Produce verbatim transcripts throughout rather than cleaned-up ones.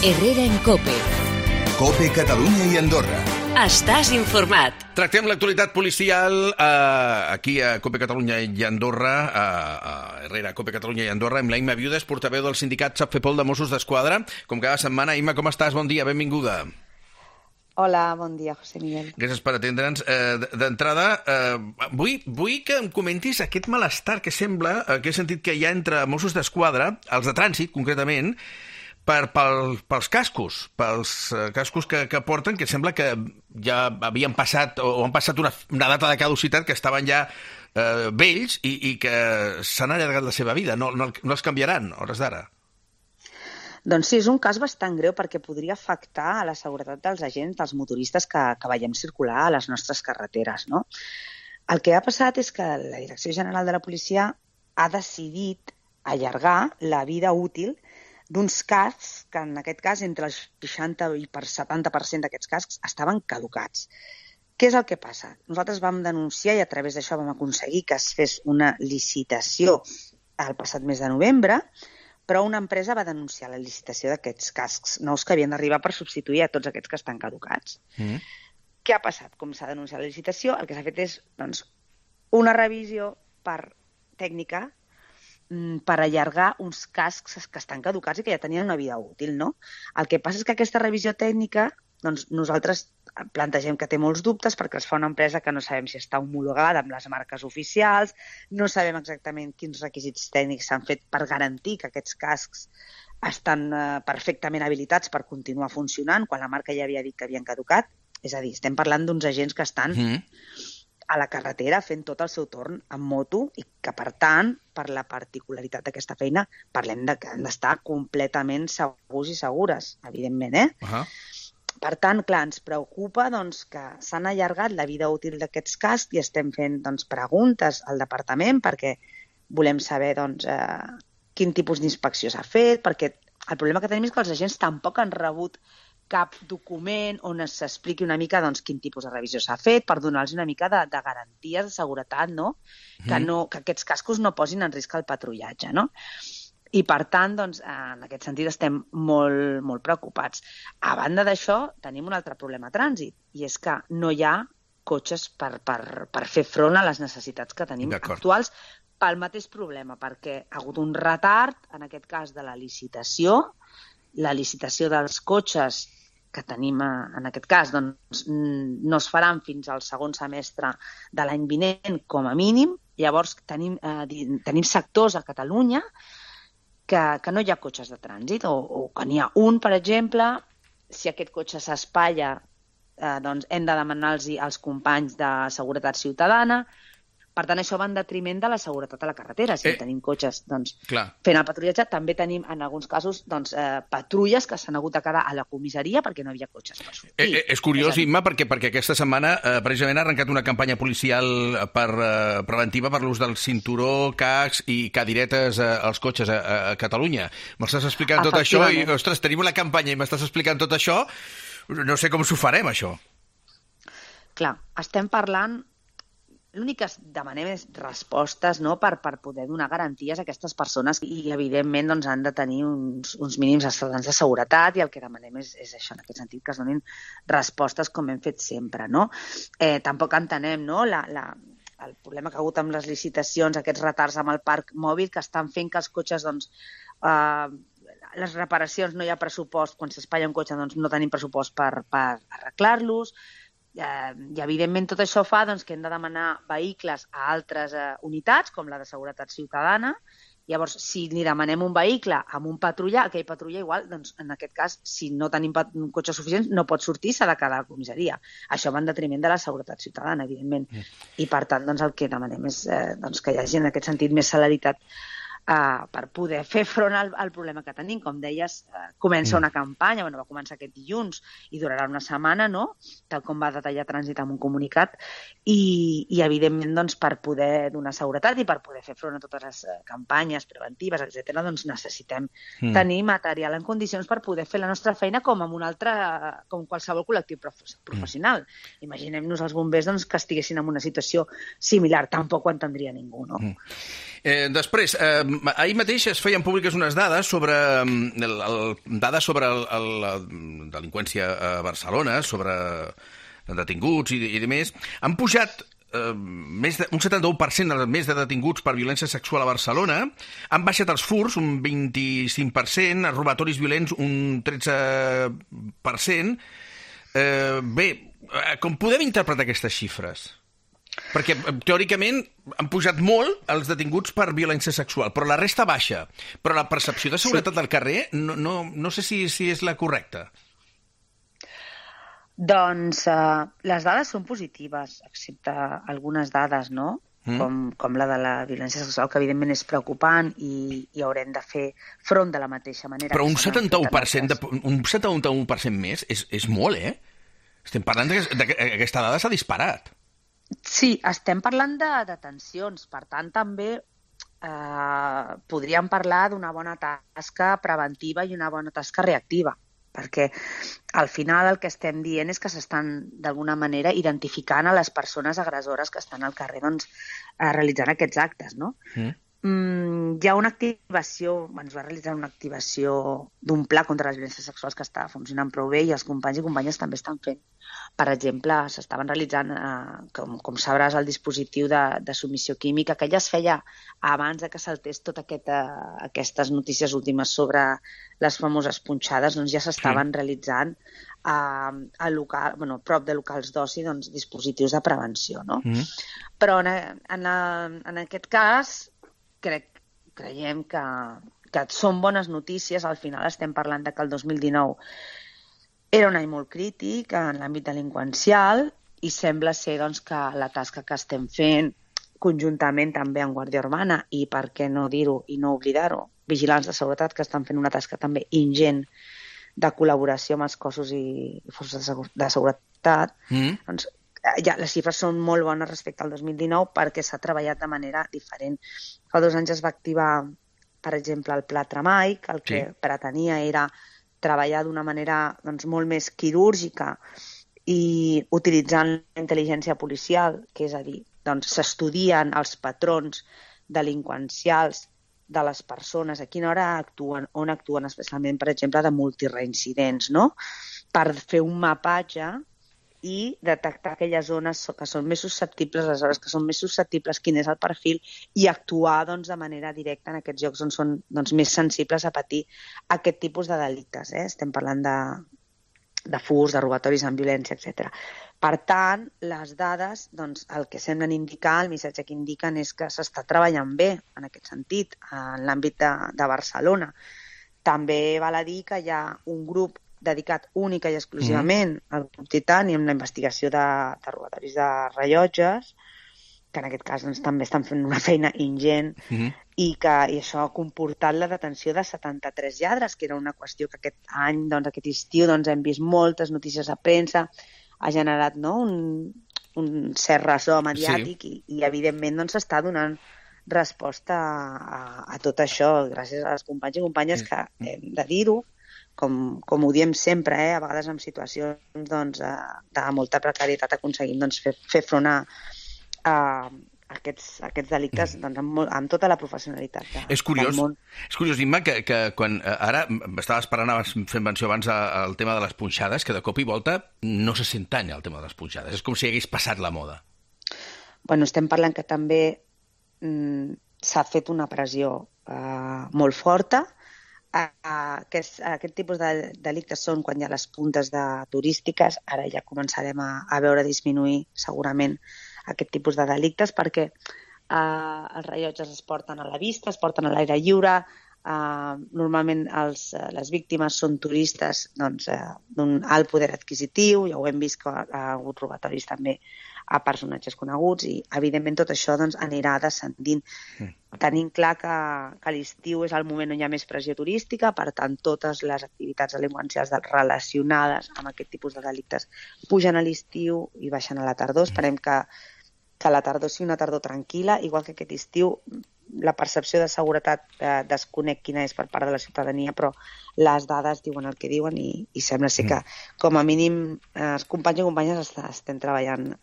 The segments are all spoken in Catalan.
Herrera en COPE. COPE Catalunya i Andorra. Estàs informat. Tractem l'actualitat policial eh, aquí a COPE Catalunya i Andorra, a, a Herrera, COPE Catalunya i Andorra, amb la Imma Viudes, portaveu del sindicat SAPFEPOL de Mossos d'Esquadra. Com cada setmana, Imma, com estàs? Bon dia, benvinguda. Hola, bon dia, José Miguel. Gràcies per atendre'ns. Eh, D'entrada, eh, vull, vull que em comentis aquest malestar que sembla, eh, que he sentit que hi ha entre Mossos d'Esquadra, els de trànsit, concretament, per, pel, pels cascos, pels eh, cascos que, que porten, que sembla que ja havien passat, o han passat una, una data de caducitat, que estaven ja eh, vells i, i que s'han allargat la seva vida. No, no, no els canviaran, a hores d'ara. Doncs sí, és un cas bastant greu perquè podria afectar a la seguretat dels agents, dels motoristes que, que veiem circular a les nostres carreteres, no? El que ha passat és que la Direcció General de la Policia ha decidit allargar la vida útil d'uns cascs que, en aquest cas, entre el seixanta i el setanta per cent d'aquests cascs estaven caducats. Què és el que passa? Nosaltres vam denunciar i a través d'això vam aconseguir que es fes una licitació el passat mes de novembre, però una empresa va denunciar la licitació d'aquests cascs nous que havien d'arribar per substituir a tots aquests que estan caducats. Mm. Què ha passat? Com s'ha denunciat la licitació, el que s'ha fet és doncs, una revisió per tècnica per allargar uns cascs que estan caducats i que ja tenien una vida útil, no? El que passa és que aquesta revisió tècnica, doncs nosaltres plantegem que té molts dubtes perquè es fa una empresa que no sabem si està homologada amb les marques oficials, no sabem exactament quins requisits tècnics s'han fet per garantir que aquests cascs estan eh, perfectament habilitats per continuar funcionant quan la marca ja havia dit que havien caducat. És a dir, estem parlant d'uns agents que estan mm. a la carretera fent tot el seu torn en moto i que, per tant, per la particularitat d'aquesta feina, parlem de que han d'estar completament segurs i segures, evidentment, eh? Uh-huh. Per tant, clar, ens preocupa doncs, que s'han allargat la vida útil d'aquests cascs i estem fent doncs, preguntes al departament perquè volem saber doncs, eh, quin tipus d'inspecció s'ha fet, perquè el problema que tenim és que els agents tampoc han rebut cap document on s'expliqui una mica doncs, quin tipus de revisió s'ha fet per donar-los una mica de, de garanties de seguretat, no? Mm. Que, no, que aquests cascos no posin en risc el patrullatge, no? I, per tant, doncs, en aquest sentit estem molt, molt preocupats. A banda d'això, tenim un altre problema a trànsit, i és que no hi ha cotxes per, per, per fer front a les necessitats que tenim actuals pel mateix problema, perquè ha hagut un retard, en aquest cas, de la licitació. La licitació dels cotxes que tenim en aquest cas doncs, no es faran fins al segon semestre de l'any vinent, com a mínim. Llavors, tenim, eh, tenim sectors a Catalunya que, que no hi ha cotxes de trànsit, o, o que n'hi ha un, per exemple. Si aquest cotxe s'espatlla, eh, doncs hem de demanar-los als companys de Seguretat Ciutadana. Per tant, això va en detriment de la seguretat a la carretera. Si eh, tenim cotxes doncs, fent el patrullatge, també tenim, en alguns casos, doncs, eh, patrulles que s'han hagut de quedar a la comissaria perquè no hi havia cotxes per sortir. Eh, eh, és curiós, és Imma, perquè, perquè aquesta setmana eh, precisament ha arrencat una campanya policial per, eh, preventiva per l'ús del cinturó, cascs i cadiretes eh, als cotxes a, a Catalunya. M'estàs explicant tot això i, ostres, tenim una campanya i m'estàs explicant tot això. No sé com s'ho farem, això. Clar, estem parlant... L'únic que demanem és respostes, no?, per, per poder donar garanties a aquestes persones i, evidentment, doncs, han de tenir uns, uns mínims estàndards de seguretat i el que demanem és, és això, en aquest sentit, que es donin respostes com hem fet sempre, no? Eh, tampoc entenem, no?, la, la, el problema que ha hagut amb les licitacions, aquests retards amb el parc mòbil que estan fent que els cotxes, doncs, eh, les reparacions no hi ha pressupost, quan s'espatlla un cotxe doncs no tenim pressupost per, per arreglar-los. I, evidentment, tot això fa doncs, que hem de demanar vehicles a altres eh, unitats, com la de Seguretat Ciutadana. Llavors, si li demanem un vehicle amb un patrulla, aquell patrulla igual, doncs, en aquest cas, si no tenim cotxes suficients, no pot sortir, s'ha de quedar a la comissaria. Això va en detriment de la seguretat ciutadana, evidentment. Mm. I, per tant, doncs, el que demanem és eh, doncs, que hi hagi, en aquest sentit, més celeritat Uh, per poder fer front al, al problema que tenim. Com deies, uh, comença una campanya, bueno, va començar aquest dilluns i durarà una setmana, no?, tal com va detallar Trànsit amb un comunicat, i, i evidentment, doncs, per poder donar seguretat i per poder fer front a totes les uh, campanyes preventives, etcètera, doncs necessitem mm. tenir material en condicions per poder fer la nostra feina com amb un altre, com qualsevol col·lectiu prof- professional. Mm. Imaginem-nos els bombers doncs, que estiguessin en una situació similar, tampoc ho entendria ningú, no? Mm. Eh, després, eh, ahir mateix es feien públiques unes dades sobre, el, el, dades sobre el, el, la delinqüència a Barcelona, sobre detinguts i, i demés. Han pujat eh, més de, un setanta-u per cent més de detinguts per violència sexual a Barcelona, han baixat els furts un vint-i-cinc per cent, els robatoris violents un tretze per cent. Eh, bé, com podem interpretar aquestes xifres? Perquè, teòricament, han pujat molt els detinguts per violència sexual, però la resta baixa. Però la percepció de seguretat sí. del carrer no, no, no sé si, si és la correcta. Doncs uh, les dades són positives, excepte algunes dades, no? Mm. Com, com la de la violència sexual, que evidentment és preocupant i, i haurem de fer front de la mateixa manera. Però un setanta-u per cent, de, un setanta-u per cent més és, és molt, eh? Estem parlant que aquesta dada s'ha disparat. Sí, estem parlant de detencions, per tant també eh, podríem parlar d'una bona tasca preventiva i una bona tasca reactiva, perquè al final el que estem dient és que s'estan d'alguna manera identificant a les persones agressores que estan al carrer doncs, eh, realitzant aquests actes, no? Mm. Mm, hi ha una activació, ens va realitzar una activació d'un pla contra les violències sexuals que està funcionant prou bé i els companys i companyes també estan fent. Per exemple, s'estaven realitzant, eh, com, com sabràs, el dispositiu de, de submissió química, que ja es feia abans de que saltés totes aquest, uh, aquestes notícies últimes sobre les famoses punxades, doncs ja s'estaven sí. realitzant a, a local, bueno, prop de locals d'oci doncs, dispositius de prevenció. No? Mm. Però en, en, en aquest cas crec, creiem que, que són bones notícies. Al final estem parlant de que el dos mil dinou era un any molt crític en l'àmbit delinqüencial i sembla ser doncs, que la tasca que estem fent conjuntament també amb Guàrdia Urbana i, per què no dir-ho i no oblidar-ho, vigilants de seguretat que estan fent una tasca també ingent de col·laboració amb els cossos i forces de seguretat, mm. doncs ja, les xifres són molt bones respecte al dos mil dinou perquè s'ha treballat de manera diferent. Fa dos anys es va activar, per exemple, el Pla Tramai, que el que sí. pretenia era treballar d'una manera doncs, molt més quirúrgica i utilitzant la intel·ligència policial, que és a dir, doncs, s'estudien els patrons delinqüencials de les persones, a quina hora actuen, on actuen, especialment, per exemple, de multireincidents, no? Per fer un mapatge i detectar aquelles zones que són més susceptibles, les hores que són més susceptibles, quin és el perfil, i actuar doncs, de manera directa en aquests llocs on són doncs, més sensibles a patir aquest tipus de delictes. Eh? Estem parlant de, de furts, de robatoris amb violència, etcètera. Per tant, les dades, doncs, el que semblen indicar, el missatge que indiquen és que s'està treballant bé en aquest sentit, en l'àmbit de, de Barcelona. També val a dir que hi ha un grup dedicat única i exclusivament mm. al grup Titani amb la investigació de, de robatoris de rellotges, que en aquest cas doncs, també estan fent una feina ingent mm. i que i això ha comportat la detenció de setanta-tres lladres, que era una qüestió que aquest any, doncs, aquest estiu, doncs, hem vist moltes notícies a premsa, ha generat no, un, un cert ressò mediàtic sí. i, i evidentment doncs, s'està donant resposta a, a, a tot això, gràcies als companys i companyes que hem de dir-ho, Com, com ho diem sempre, eh? A vegades en situacions doncs, de molta precarietat aconseguim doncs, fer, fer front a, a aquests, aquests delictes doncs, amb, amb tota la professionalitat de, és curiós, del món. És curiós, Imma, que, que quan ara estaves parlant, fent menció abans al tema de les punxades, que de cop i volta no se sent tant el tema de les punxades. És com si hagués passat la moda. Bueno, estem parlant que també mm, s'ha fet una pressió eh, molt forta. Aquest, aquest tipus de delictes són quan hi ha les puntes de turístiques, ara ja començarem a, a veure disminuir segurament aquest tipus de delictes perquè eh, els rellotges es porten a la vista, es porten a l'aire lliure, eh, normalment els, les víctimes són turistes doncs, eh, d'un alt poder adquisitiu, ja ho hem vist que ha hagut robatoris també a personatges coneguts i evidentment tot això doncs, anirà descendint. Mm. Tenim clar que, que l'estiu és el moment on hi ha més pressió turística, per tant totes les activitats delinqüencials relacionades amb aquest tipus de delictes pugen a l'estiu i baixen a la tardor. Esperem que, que la tardor sigui una tardor tranquil·la, igual que aquest estiu la percepció de seguretat eh, desconec quina és per part de la ciutadania, però les dades diuen el que diuen i, i sembla ser que com a mínim eh, els companys i companyes estem treballant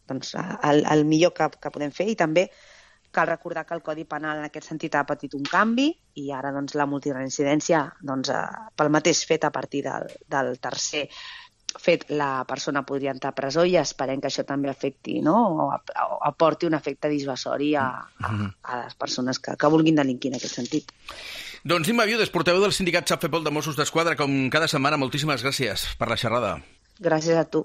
doncs, el, el millor que, que podem fer i també Cal recordar que el Codi Penal en aquest sentit ha patit un canvi i ara doncs, la multireincidència, doncs, eh, pel mateix fet a partir del, del tercer fet, la persona podria entrar a presó i esperem que això també afecti, no? o, o aporti un efecte dissuasori a, a, a les persones que, que vulguin delinquir en aquest sentit. Doncs Imma Viudes, portaveu del sindicat SAPFEPOL de Mossos d'Esquadra, com cada setmana, moltíssimes gràcies per la xerrada. Gràcies a tu.